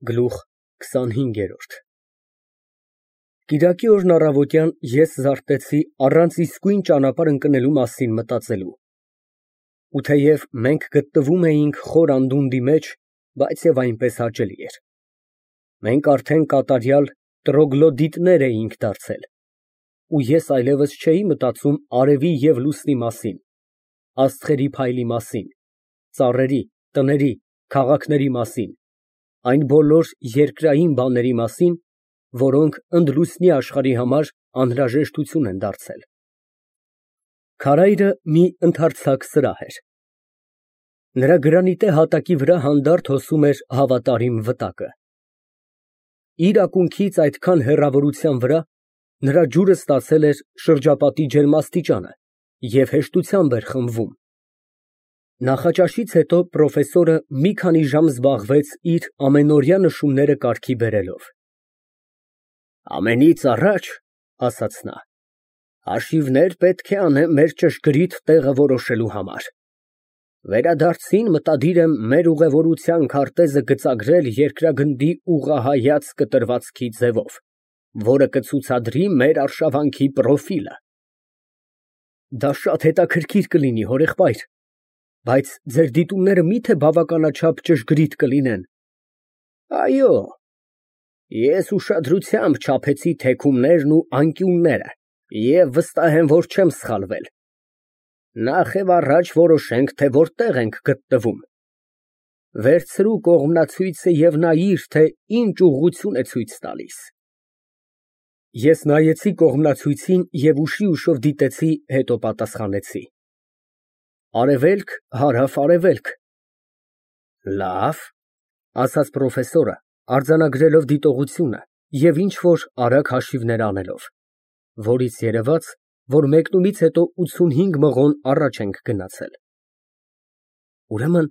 Գլուխ 25 Կիրակի օրն առավոտյան ես զարթեցի առանց իսկույն ճանապարհ ընկնելու մասին մտածելու։ Ու թեև մենք գտնվում էինք խոր անդունդի մեջ, բայց և այնպես հաճելի էր։ Մենք արդեն կատարյալ տրոգլոդիտներ էինք դարձել, ու ես այլևս չէի մտածում արևի և լուսնի մասին, աստղերի փայլի մասին, ծառերի, տների, քաղաքների մասին, այն բոլոր երկրային բաների մասին, որոնք ընդլուսնի աշխարհի համար անհրաժեշտություն են դարձել։ Քարայրը մի ընդարձակ սրահ էր։ Նրա գրանիտե հատակի վրա հանդարտ հոսում էր հավատարիմ վտակը։ Իր ակունքից այդքան հեռավորության վրա նրա ջուրը ստացել էր շրջապատի ջերմաստիճանը և հեշտությամբ էր խմվում։ Նախաճաշից հետո մի քանի ժամ զբաղվեց իր ամենօրյա նշումները կարգի բերելով։ Ամենից առաջ, ասաց նա, հաշիվներ պետք է անեմ մեր ճշգրիտ տեղը որոշելու համար։ Վերադարձին մտադիր եմ մեր ուղևորության քարտեզը գծագրել երկրագնդի ուղղահայաց կտրվածքի ձևով, որը կցուցադրի մեր արշավանքի պրոֆիլը։ Դա շատ հետաքրքիր կլինի, հորեղբայր, բայց ձեր դիտումները մի՞թե բավականաչափ ճշգրիտ կլինեն։ Այո, ես ուշադրությամբ չափեցի թեքումներն ու անկյունները և վստահ եմ, որ չեմ սխալվել։ Նախ և առաջ որոշենք, թե որտեղ ենք գտնվում։ Վերցրու կողմնացույցը և նայիր, թե ինչ ուղղություն է ցույց տալիս։ Ես նայեցի կողմնացույցին և ուշիուշով դիտեցի, հետո պատասխանեցի. Արևելք, հարավ, արևելք։ Լավ, ասաց պրոֆեսորը, արձանագրելով դիտողությունը և ինչ֊որ արագ հաշիվներ անելով, որից երևաց, որ մեկնումից հետո 85 մղոն առաջ ենք գնացել։ Ուրեմն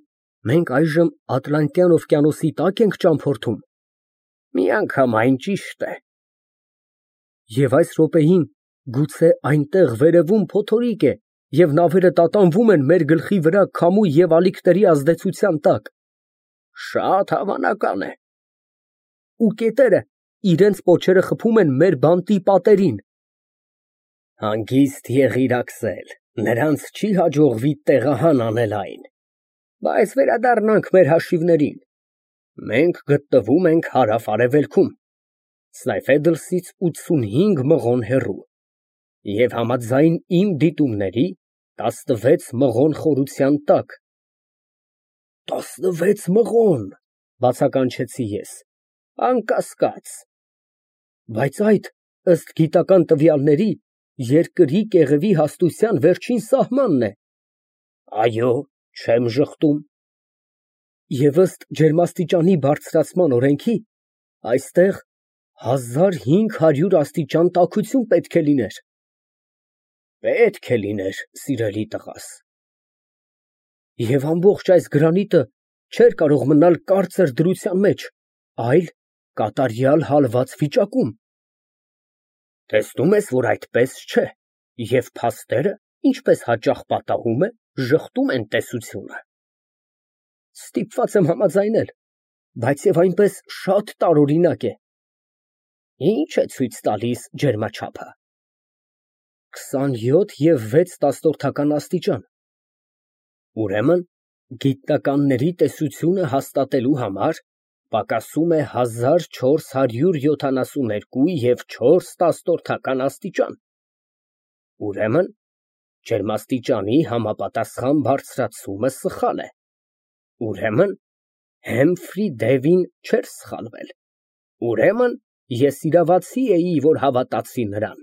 մենք այժմ Ատլանտյան օվկիանոսի տա՞կ ենք ճամփորդում։ Միանգամայն ճիշտ է։ Եվ այս րոպեին գուցե այնտեղ վերևում փոթորիկ է, և նավերը տատանվում են մեր գլխի վրա քամու և ալիքների ազդեցության տակ։ Շատ հավանական է։ Ու կետերը իրենց պոչերը խփում են մեր բանտի պատերին։ Հանգիստ եղիր, Աքսել, նրանց չի հաջողվի տեղահան անել այն։ Բայց վերադառնանք մեր հաշիվներին։ Մենք գտնվում ենք հարավ֊արևելքում, Սնայֆեդլսից 85 մղոն հեռու, և համաձայն իմ դիտումների 16 մղոն խորության տակ։ 16 մղոն, բացականչեցի ես, անկասկած։ Բայց այդ, ըստ գիտական տվյալների, երկրի կեղևի հաստության վերջին սահմանն է։ Այո, չեմ ժխտում։ Եվ ըստ ջերմաստիճանի բարձրացման օրենքի, այստեղ 1500 աստիճան տաքություն պետք է լիներ։ Պետք է լիներ, սիրելի տղաս։ Եվ ամբողջ այս գրանիտը չէր կարող մնալ կարծր դրության մեջ, այլ կատարյալ հալված վիճակում։ Տեսնում ես, որ այդպես չէ, և փաստերը, ինչպես հաճախ պատահում է, ժխտում են տեսությունը։ Ստիպված եմ համաձայնել, բայց և այնպես շատ տարօրինակ է։ Ինչ է ցույց տալիս ջերմաչափը։ 27 և 6 աստիճան։ Ուրեմն, գիտնականների տեսությունը հաստատելու համար պակասում է 1472 և 4 աստիճան։ Ուրեմն, ջերմաստիճանի համապատասխան բարձրացումը սխալ է։ Ուրեմն, Հեմֆրի Դևին չէր սխալվել։ Ուրեմն, ես իրավացի էի, որ հավատացի նրան։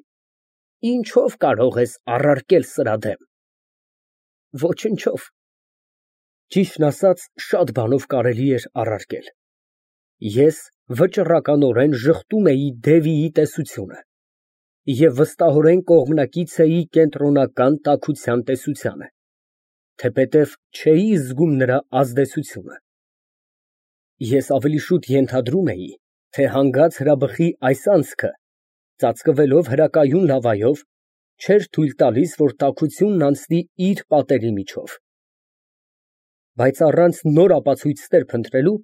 Ինչո՞վ կարող ես առարկել սրա դեմ։ Ոչնչով։ Ճիշտն ասած, շատ բանով կարելի էր առարկել։ Ես վճռականորեն ժխտում էի Դևիի տեսությունը և վստահորեն կողմնակից էի կենտրոնական տաքության տեսությանը, թեպետև չէի զգում նրա ազդեցությունը։ Ես ավելի շուտ ենթադրում էի, թե հանգած հրաբխի այս անցքը, ծածկվելով հրակայուն լավայով, չէր թույլ տալիս, որ տաքությունն անցնի իր պատերի միջով։ Բայց առանց նոր ապացույցներ փնտրելու,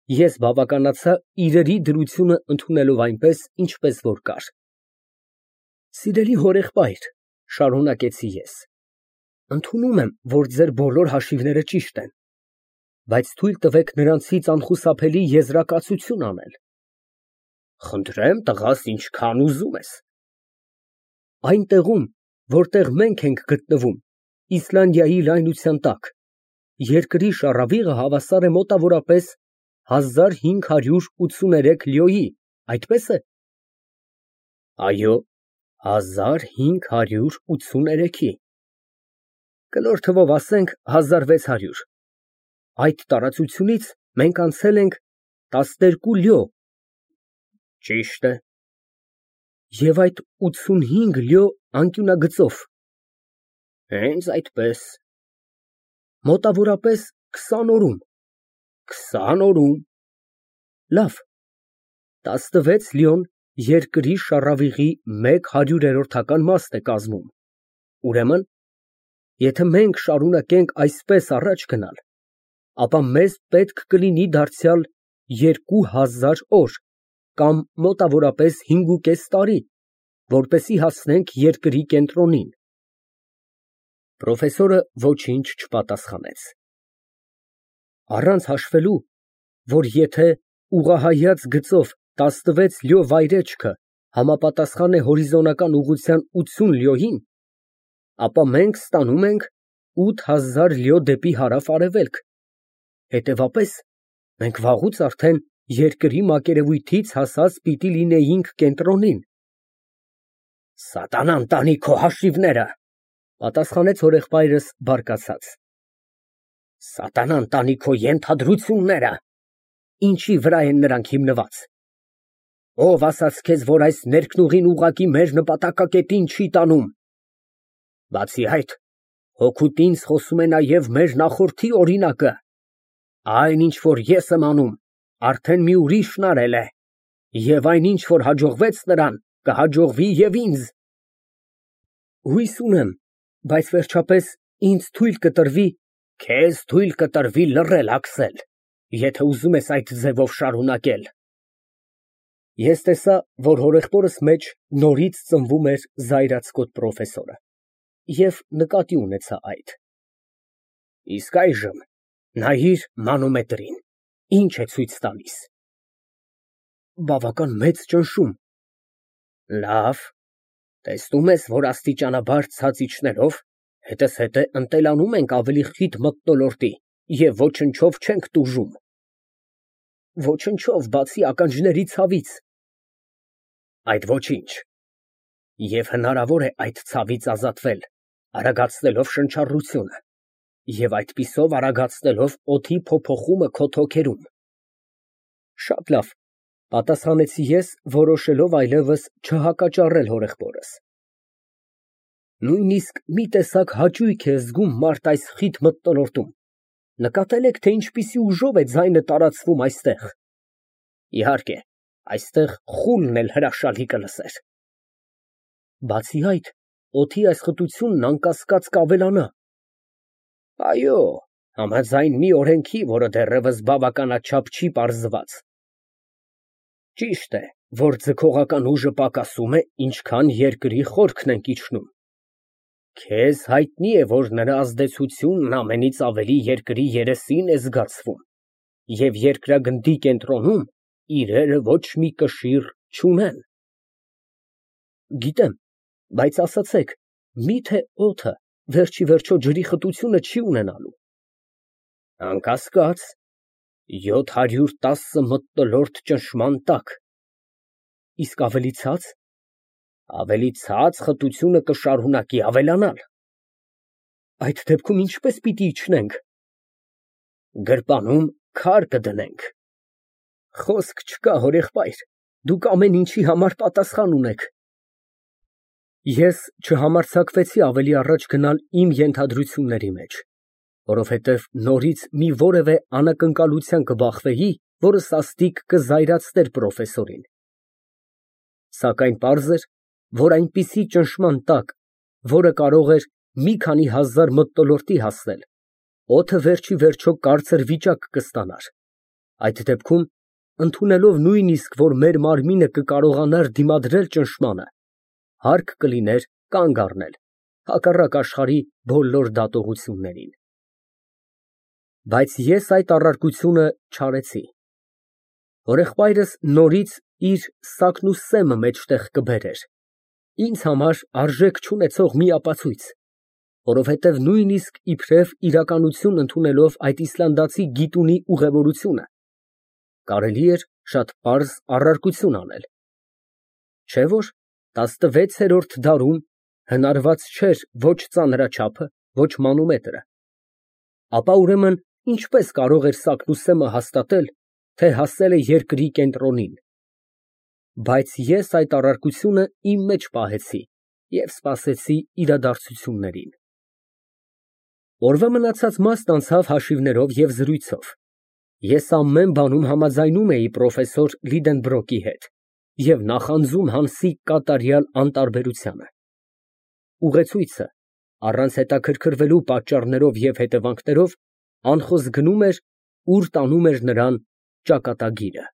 Ես բավականացա իրերի դրությունը ընդունելով այնպես, ինչպես որ կար։ Սիրելի հորեղբայր, շարունակեցի ես, ընդունում եմ, որ ձեր բոլոր հաշիվները ճիշտ են, բայց թույլ տվեք նրանցից անխուսափելի եզրակացություն անել։ Խնդրեմ, տղաս, ինչքան ուզում ես։ Այն տեղում, որտեղ մենք ենք գտնվում, Իսլանդիայի լայնության տակ, երկրի շառավիղը հավասար է մոտավորապես 1583 լյոյի, այդպես է։ Այո, 1583-ի։ Կլոր թվով ասենք 1600։ Այդ տարածությունից մենք անցել ենք 12 լյո։ Ճիշտ է։ Եվ այդ 85 լյո անկյունագծով։ Հենց այդպես։ Մոտավորապես 20 օրում։ 20 օրում։ Լավ։ 16 լյոն երկրի շառավիղի 1/100-ական մասն է կազմում։ Ուրեմն, եթե մենք շարունակենք այսպես առաջ գնալ, ապա մեզ պետք կլինի դարձյալ 2000 օր, կամ մոտավորապես 5.5 տարի, որպեսզի հասնենք երկրի կենտրոնին։ Պրոֆեսորը ոչինչ չպատասխանեց։ Առանց հաշվելու, որ եթե ուղղահայաց գծով 16 լյո վայրեջքը համապատասխան է հորիզոնական ուղղության 80 լյոյին, ապա մենք ստանում ենք 8000 լյո դեպի հարավ֊արևելք։ Հետևապես, մենք վաղուց արդեն երկրի մակերևույթից հասած պիտի լինեինք կենտրոնին։ Սատանան տանի քո հաշիվները, պատասխանեց հորեղբայրս բարկացած։ Սատանան տանի քո ենթադրությունները, ինչի վրա են նրանք հիմնված։ Ով ասաց քեզ, որ այս ներքնուղին ուղղակի մեր նպատակակետին չի տանում։ Բացի այդ, հոգուտ ինձ խոսում է նաև մեր նախորդի օրինակը։ Այն, ինչ որ ես եմ անում, արդեն մի ուրիշն արել է, եւ այն, ինչ որ հաջողվեց նրան, կհաջողվի եւ ինձ։ Հույս ունեմ, բայց վերջապես ինձ թույլ կտրվի, քեզ թույլ կտրվի լռել, Աքսել, եթե ուզում ես այդ ձևով շարունակել։ Ես տեսա, որ հորեղբորս մեջ նորից ծնվում էր զայրացկոտ պրոֆեսորը, և նկատի ունեցա այդ։ Իսկ այժմ նայիր մանոմետրին, ինչ է ցույց տալիս։ Բավական մեծ ճնշում։ Լավ, տեսնում ես, որ աստիճանաբար ցած իջնելով, հետզհետե ընտելանում ենք ավելի խիտ մթնոլորտի և ոչնչով չենք տուժում։ Ոչնչով, բացի ականջների ցավից։ Այդ ոչինչ։ Եվ հնարավոր է այդ ցավից ազատվել, արագացնելով շնչառությունը, և այդպիսով արագացնելով օդի փոփոխումը քո թոքերում։ Շատ լավ, պատասխանեցի ես, որոշելով այլևս չհակաճառել հորեղբորս։ Նույնիսկ մի տեսակ հաճույք է զգում մարդ այս խիտ մթնոլորտում։ Նկատել եք, թե ինչպիսի ուժով է ձայնը տարածվում այստեղ։ Իհարկե, այստեղ խուլն էլ հրաշալի կլսեր։ Բացի այդ, օդի այս խտությունն անկասկած կավելանա։ Այո, համաձայն մի օրենքի, որը դեռևս բավականաչափ չի պարզված։ Ճիշտ է, որ ձգողական ուժը պակասում է, ինչքան երկրի խորքն ենք իջնում։ Քեզ հայտնի է, որ նրա ազդեցությունն ամենից ավելի երկրի երեսին է զգացվում, և երկրագնդի կենտրոնում իրերը ոչ մի կշիռ չունեն։ Գիտեմ, բայց ասացեք, միթե օդը վերջիվերջո ջրի խտությունը չի ունենալու։ Անկասկած, 710 մթնոլորտ ճնշման տակ։ Իսկ ավելի ցած։ Ավելի ցած խտությունը կշարունակի ավելանալ։ Այդ դեպքում ինչպես պիտի իջնենք։ Գրպանում քար կդնենք։ Խոսք չկա, հորեղբայր, դուք ամեն ինչի համար պատասխան ունեք։ Ես չհամարձակվեցի ավելի առաջ գնալ իմ ենթադրությունների մեջ, որովհետև նորից մի որևէ անակնկալության կբախվեի, որը սաստիկ կզայրացներ պրոֆեսորին։ Սակայն պարզ էր, որ այնպիսի ճնշման տակ, որը կարող էր մի քանի հազար մթնոլորտի հասնել, օդը վերջիվերջո կարծր վիճակ կստանար, Այդ դեպքում, ընդունելով նույնիսկ, որ մեր մարմինը կկարողանար դիմադրել ճնշմանը, հարկ կլիներ կանգ առնել, հակառակ աշխարհի բոլոր դատողություններին։ Բայց ես այդ առարկությունը չարեցի։ Հորեղբայրս նորից իր սակն ու սեմը մեջտեղ կբերեր, ինձ համար արժեք չունեցող մի ապացույց, որովհետև նույնիսկ իբրև իրականություն ընդունելով այդ Իսլանդացի գիտունի ուղևորությունը, կարելի էր շատ պարզ առարկություն անել, չէ՞ որ 16-րդ դարում հնարված չէր ոչ ծանրաչափը, ոչ մանոմետրը, ապա ուրեմն ինչպես կարող էր սակն ու սեմը հաստատել, թե հասել է երկրի կենտրոնին։ Բայց ես այդ առարկությունը իմ մեջ պահեցի և սպասեցի իրադարձություններին։ Օրվա մնացած մասն անցավ հաշիվներով և զրույցով։ Ես ամեն բանում համաձայնում էի պրոֆեսոր Լիդենբրոկի հետ և նախանձում Հանսի կատարյալ անտարբերությանը։ Ուղեցույցը, առանց հետաքրքրվելու պատճառներով և հետևանքներով, անխոս գնում էր, ուր տանում էր նրան ճակատագիրը։